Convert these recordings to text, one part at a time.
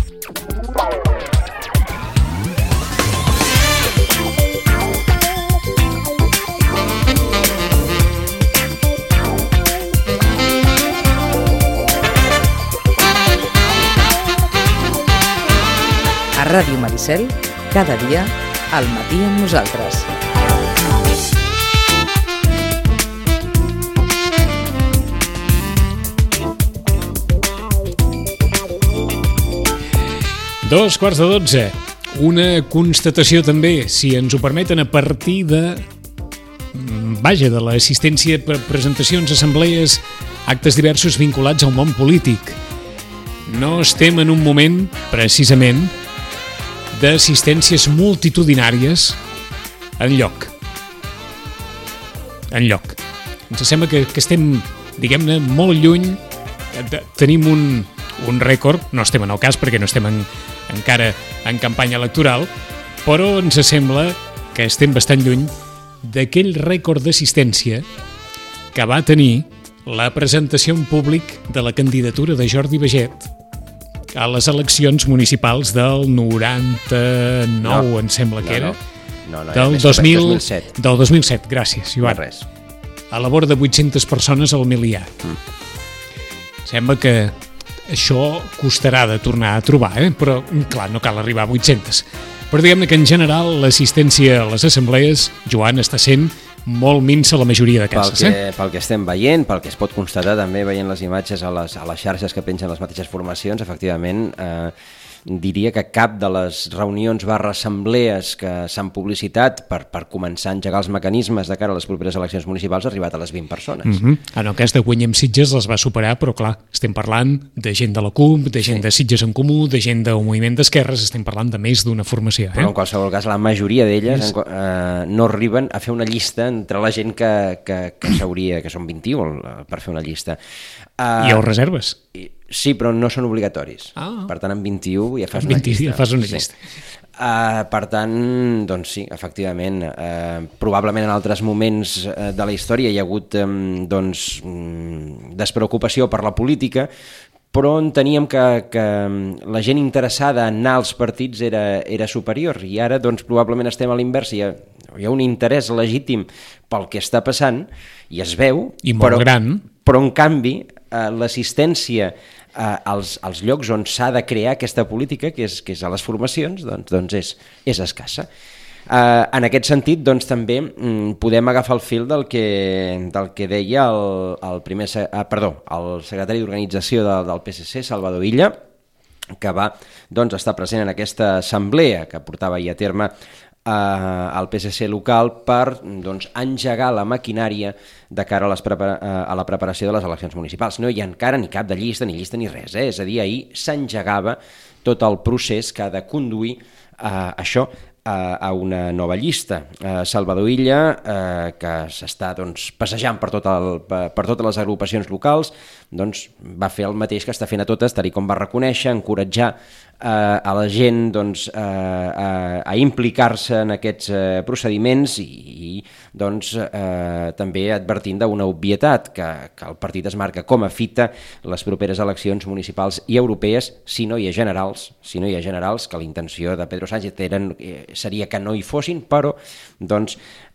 A Ràdio Maricel, cada dia, al matí amb nosaltres. Dos quarts de 12. Una constatació també, si ens ho permeten, a partir de l'assistència per presentacions, assemblees, actes diversos vinculats al món polític. No estem en un moment, precisament, d'assistències multitudinàries enlloc. Ens sembla que estem, diguem-ne, molt lluny. Tenim un rècord, no estem en el cas perquè no estem encara en campanya electoral, però ens sembla que estem bastant lluny d'aquell rècord d'assistència que va tenir la presentació en públic de la candidatura de Jordi Baget a les eleccions municipals del 99, em sembla que era. No, del 2007. Del 2007, gràcies, Joan. No res. A la vora de 800 persones al miliar. Sembla que això costarà de tornar a trobar, però, clar, no cal arribar a 800. Però diguem-ne que, en general, l'assistència a les assemblees, Joan, està sent molt minsa la majoria de cases. Pel que estem veient, pel que es pot constatar també veient les imatges a les xarxes que pengen les mateixes formacions, efectivament, diria que cap de les reunions /assemblees que s'han publicitat per començar a engegar els mecanismes de cara a les properes eleccions municipals ha arribat a les 20 persones. En el cas de Guanyem Sitges les va superar, però clar, estem parlant de gent de la CUP, de gent de Sitges en Comú, de gent del moviment d'esquerres, estem parlant de més d'una formació. Però en qualsevol cas, la majoria d'elles no arriben a fer una llista entre la gent que s'hauria, que són 21 per fer una llista. I els reserves? Sí, però no són obligatoris. Per tant, amb 21 ja fas una llista. Ja fas una llista. Per tant, doncs sí, efectivament, probablement en altres moments de la història hi ha hagut despreocupació per la política, però enteníem que la gent interessada en anar als partits era superior, i ara doncs probablement estem a l'invers, hi ha un interès legítim pel que està passant, i es veu, i molt gran, però en canvi l'assistència als llocs on s'ha de crear aquesta política, que és a les formacions, doncs és escassa. En aquest sentit, doncs, també podem agafar el fil del que deia el secretari d'organització del PSC, Salvador Illa, que va estar present en aquesta assemblea que portava ahir a terme al PSC local per engegar la maquinària de cara a la preparació de les eleccions municipals. No hi ha encara ni cap de llista ni res, és a dir, ahir s'engegava tot el procés que ha de conduir això a una nova llista. Salvador Illa, que s'està passejant per totes les agrupacions locals, va fer el mateix que està fent a totes, tal com va reconèixer, encoratjar a la gent a implicar-se en aquests procediments i també advertint d'una obvietat, que el partit es marca com a fita les properes eleccions municipals i europees, si no hi ha generals, que la intenció de Pedro Sánchez seria que no hi fossin, però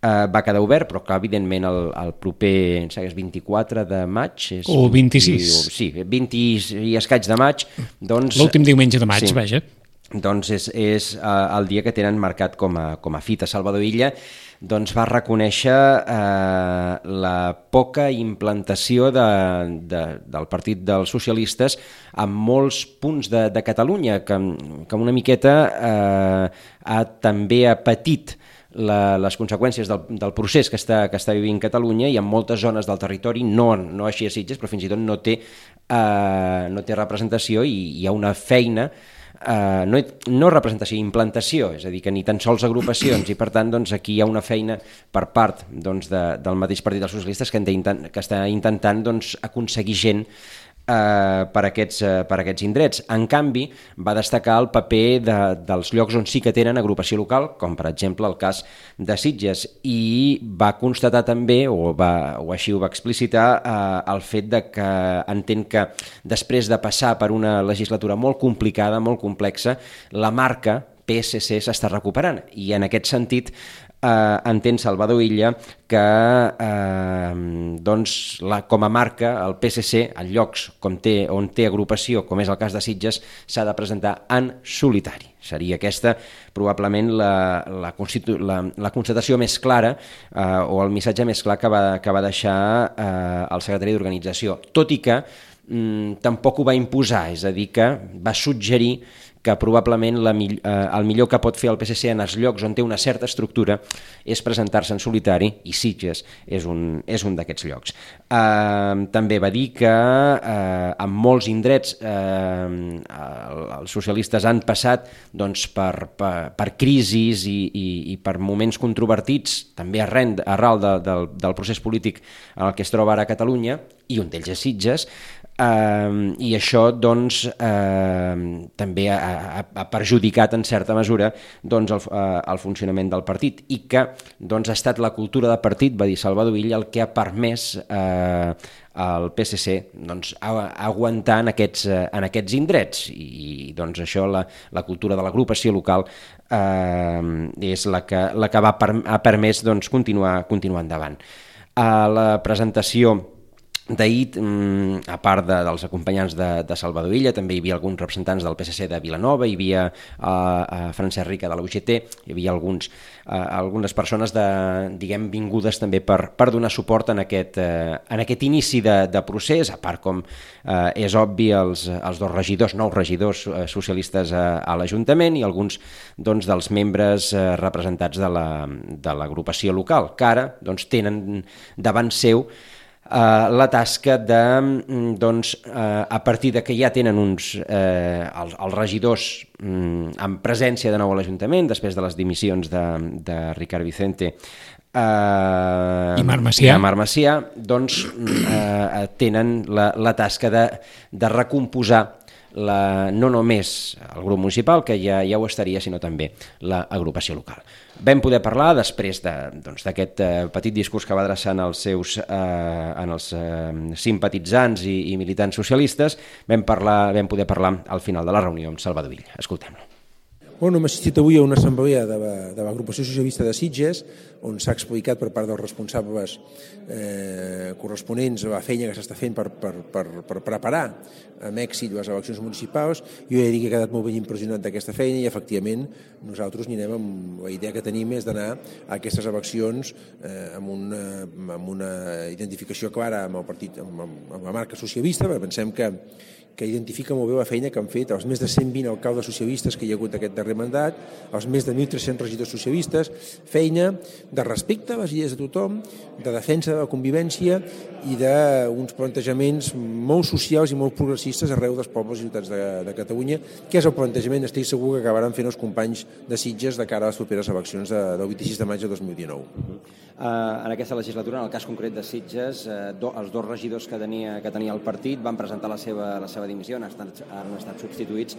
va quedar obert, però que evidentment el proper 24 de maig o 26, sí, 20 i escaig de maig, l'últim diumenge de maig, vaja, és el dia que tenen marcat com a fita. Salvador Illa va reconèixer la poca implantació del Partit dels Socialistes en molts punts de Catalunya, que una miqueta també ha patit les conseqüències del procés que està vivint Catalunya, i en moltes zones del territori, no així a Sitges, però fins i tot no té representació, i hi ha una feina, no representació, implantació, és a dir, que ni tan sols agrupacions, i per tant aquí hi ha una feina per part del mateix Partit dels Socialistes que està intentant aconseguir gent per aquests indrets. En canvi, va destacar el paper dels llocs on sí que tenen agrupació local, com per exemple el cas de Sitges, i va constatar també, o així ho va explicitar, el fet de que entén que després de passar per una legislatura molt complicada, molt complexa, la marca PSC s'està recuperant, i en aquest sentit entén Salvador Illa que com a marca el PSC en llocs on té agrupació, com és el cas de Sitges, s'ha de presentar en solitari. Seria aquesta probablement la constatació més clara o el missatge més clar que va deixar el secretari d'organització, tot i que tampoc ho va imposar, és a dir, que va suggerir que probablement el millor que pot fer el PSC en els llocs on té una certa estructura és presentar-se en solitari, i Sitges és un d'aquests llocs. També va dir que en molts indrets els socialistes han passat per crisis i per moments controvertits, també arrel del procés polític en el que es troba ara a Catalunya, i un d'ells és Sitges, i això també ha perjudicat en certa mesura el funcionament del partit, i que ha estat la cultura de partit, va dir Salvador Illa, el que ha permès al PSC aguantar en aquests indrets, i això, la cultura de l'agrupació local és la que ha permès continuar endavant. A la presentació d'ahir, a part dels acompanyants de Salvador Illa, també hi havia alguns representants del PSC de Vilanova, hi havia Francesc Rica de la UGT, hi havia algunes persones vingudes també per donar suport en aquest inici de procés, a part, com és obvi, els nous regidors socialistes a l'Ajuntament i alguns dels membres representats de l'agrupació local, que ara tenen davant seu la tasca de, a partir de que ja tenen els regidors en presència de nou a l'Ajuntament, després de les dimissions de Ricard Vicente i Marc Macià, tenen la tasca de recompondre no només el grup municipal, que ja ho estaria, sinó també l'agrupació local. Vam poder parlar, després d'aquest petit discurs que va adreçar als simpatitzants i militants socialistes, vam poder parlar al final de la reunió amb Salvador Illa. Escoltem-lo. Hem assistit avui a una assemblea de l'agrupació socialista de Sitges, on s'ha explicat per part dels responsables corresponents a la feina que s'està fent per preparar amb èxit les eleccions municipals. Jo he de dir que he quedat molt ben impressionat d'aquesta feina, i efectivament nosaltres anirem amb la idea que tenim és d'anar a aquestes eleccions amb una identificació clara amb el partit, amb la marca socialista, perquè pensem que identifica molt bé la feina que han fet els més de 120 alcaldes socialistes que hi ha hagut aquest darrer mandat, els més de 1.300 regidors socialistes, feina de respecte a les idees de tothom, de defensa de la convivència i d'uns plantejaments molt socials i molt progressistes arreu dels pobles i ciutats de Catalunya, que és el plantejament, estic segur, que acabaran fent els companys de Sitges de cara a les properes eleccions del 26 de maig de 2019. En aquesta legislatura, en el cas concret de Sitges, els dos regidors que tenia el partit van presentar la seva dimissió, han estat substituïts.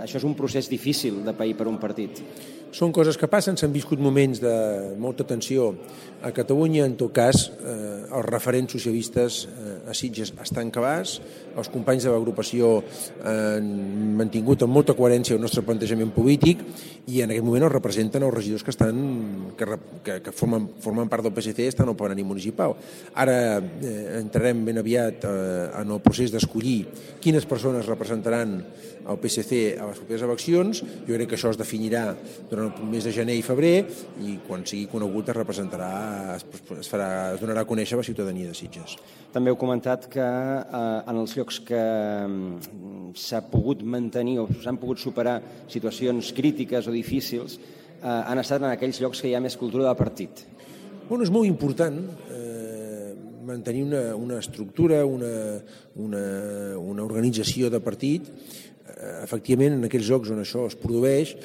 Això és un procés difícil de pair per un partit. Són coses que passen, s'han viscut moments de molta tensió a Catalunya. En tot cas, els referents socialistes a Sitges estan clars, els companys de l'agrupació han mantingut amb molta coherència el nostre plantejament polític, i en aquest moment els representen els regidors que formen part del PSC, estan al plenari municipal. Ara entrarem ben aviat en el procés d'escollir quines persones representaran el PSC a les properes eleccions. Jo crec que això es definirà durant el mes de gener i febrer, i quan sigui conegut es donarà a conèixer a la ciutadania de Sitges. També heu comentat que en els llocs que s'ha pogut mantenir o s'han pogut superar situacions crítiques o difícils han estat en aquells llocs que hi ha més cultura de partit. És molt important mantenir una estructura, una organització de partit. Efectivament, en aquells llocs on això es produeix,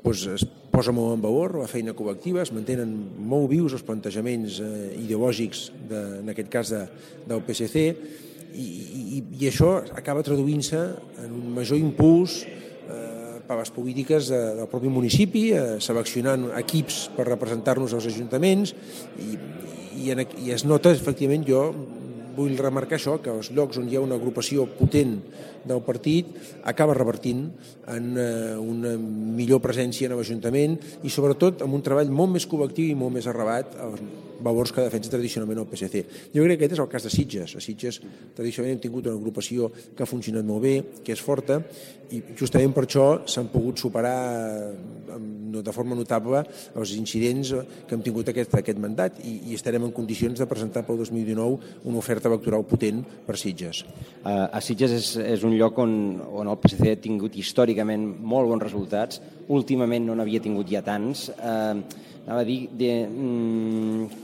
es posa molt en valor la feina col·lectiva, es mantenen molt vius els plantejaments ideològics, en aquest cas del PSC, i això acaba traduint-se en un major impuls per les polítiques del propi municipi, seleccionant equips per representar-nos als ajuntaments, i es nota, efectivament, jo vull remarcar això, que als llocs on hi ha una agrupació potent del partit acaba revertint en una millor presència en l'Ajuntament i sobretot amb un treball molt més col·lectiu i molt més arrelat als valors que defensa tradicionalment el PSC. Jo crec que aquest és el cas de Sitges. A Sitges tradicionalment hem tingut una agrupació que ha funcionat molt bé, que és forta, i justament per això s'han pogut superar de forma notable els incidents que hem tingut aquest mandat i estarem en condicions de presentar pel 2019 una oferta electoral potent per Sitges. A Sitges és un lloc on el PSC ha tingut històricament molt bons resultats, últimament no n'havia tingut ja tants. Anava a dir,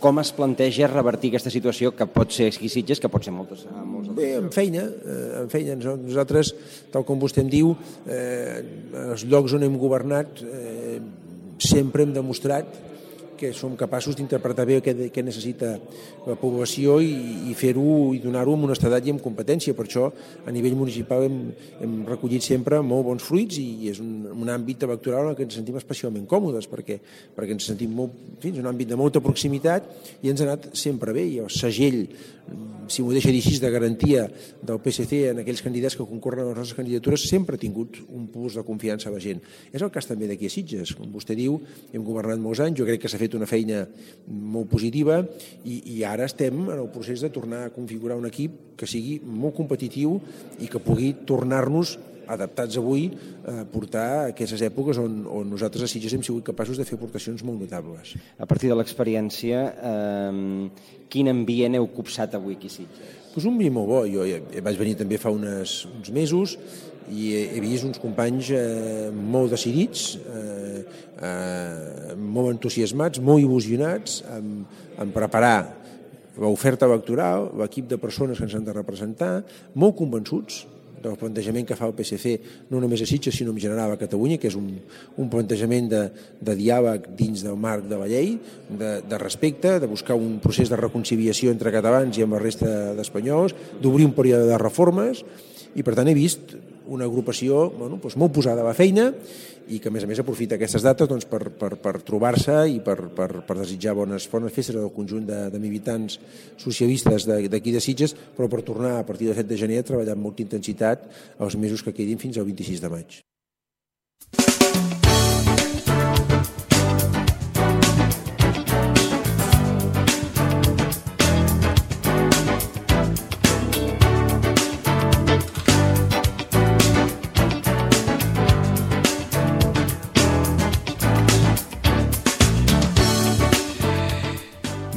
com es planteja revertir aquesta situació que pot ser aquí Sitges, que pot ser molts altres. Bé, amb feina. Nosaltres, tal com vostè em diu, els llocs on hem governat sempre hem demostrat que som capaços d'interpretar bé què necessita la població i fer-ho i donar-ho amb honestedat i amb competència. Per això, a nivell municipal hem recollit sempre molt bons fruits i és un àmbit electoral en què ens sentim especialment còmodes perquè ens sentim en un àmbit de molta proximitat i ens ha anat sempre bé. I el segell, si m'ho deixa dir així, de garantia del PSC en aquells candidats que concorren a les nostres candidatures sempre ha tingut un plus de confiança a la gent. És el cas també d'aquí a Sitges. Com vostè diu, hem governat molts anys, jo crec que s'ha fet una feina molt positiva i ara estem en el procés de tornar a configurar un equip que sigui molt competitiu i que pugui tornar-nos adaptats avui a portar aquestes èpoques on nosaltres a Sitges hem sigut capaços de fer aportacions molt notables. A partir de l'experiència, quin ambient heu copsat avui aquí a Sitges? Pues un ambient molt bo. Jo vaig venir també fa uns mesos i he vist uns companys molt decidits, molt entusiasmats, molt il·lusionats en preparar l'oferta electoral, l'equip de persones que ens han de representar, molt convençuts del plantejament que fa el PSC, no només a Sitges, sinó en general a Catalunya, que és un plantejament de diàleg dins del marc de la llei, de respecte, de buscar un procés de reconciliació entre catalans i amb la resta d'espanyols, d'obrir un període de reformes, i per tant he vist una agrupació molt posada a la feina i que a més aprofita aquestes dates per trobar-se i per desitjar bones festes al conjunt de militants socialistes d'aquí de Sitges, però per tornar a partir del 7 de gener a treballar amb molta intensitat els mesos que quedin fins al 26 de maig.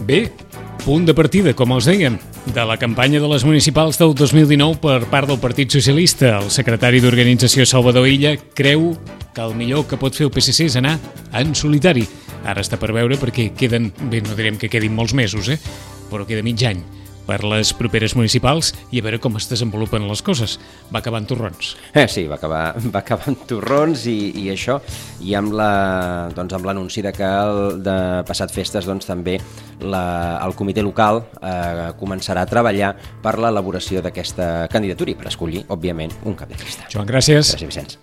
Bé, punt de partida, com els dèiem, de la campanya de les municipals del 2019 per part del Partit Socialista. El secretari d'Organització Salvador Illa creu que el millor que pot fer el PSC és anar en solitari. Ara està per veure perquè queden, bé, no direm que quedin molts mesos, però queda mig any per les properes municipals i a veure com es desenvolupen les coses. Va acabar en torrons. Sí, va acabar en torrons i això, i amb l'anunci que de passat festes també el comitè local començarà a treballar per l'elaboració d'aquesta candidatura i per escollir, òbviament, un cap de llista. Joan, gràcies. Gràcies, Vicenç.